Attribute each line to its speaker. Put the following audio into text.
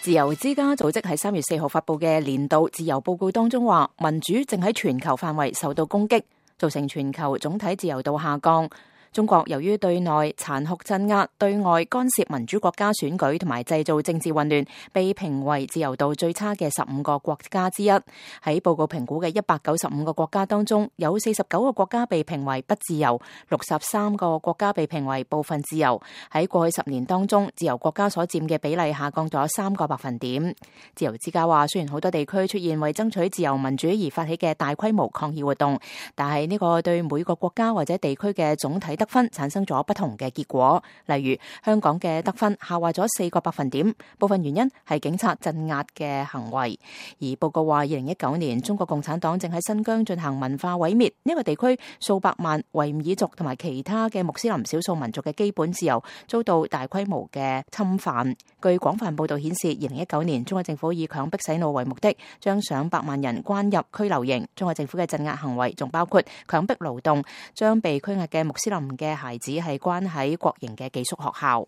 Speaker 1: 自由之家組織喺3月4號發佈嘅年度自由報告當中話，民主正喺全球範圍受到攻擊，造成全球總體自由度下降。中國由於對內殘酷鎮壓、對外干涉民主國家選舉同埋製造政治混亂，被評為自由度最差嘅15個國家之一。喺報告評估嘅195個國家當中，有49個國家被評為不自由，63個國家被評為部分自由。喺過去10年當中，自由國家所佔嘅比例下降咗3個百分點。自由之家話，雖然好多地區出現為爭取自由民主而發起嘅大規模抗議活動，但係呢個對每個國家或者地區嘅總體得分產生咗不同嘅結果，例如香港嘅得分下滑咗4個百分點，部分原因係警察鎮壓嘅行為。而報告話，2019年中國共產黨正喺新疆進行文化毀滅，呢個地區數百萬維吾爾族同埋其他嘅穆斯林少數民族嘅基本自由遭到大規模嘅侵犯。據廣泛報道顯示，2019年中國政府以強迫洗腦為目的，將上百萬人關入拘留營。中國政府嘅鎮壓行為仲包括強迫勞動，將被拘押嘅穆斯林嘅孩子係關喺國營嘅寄宿學校。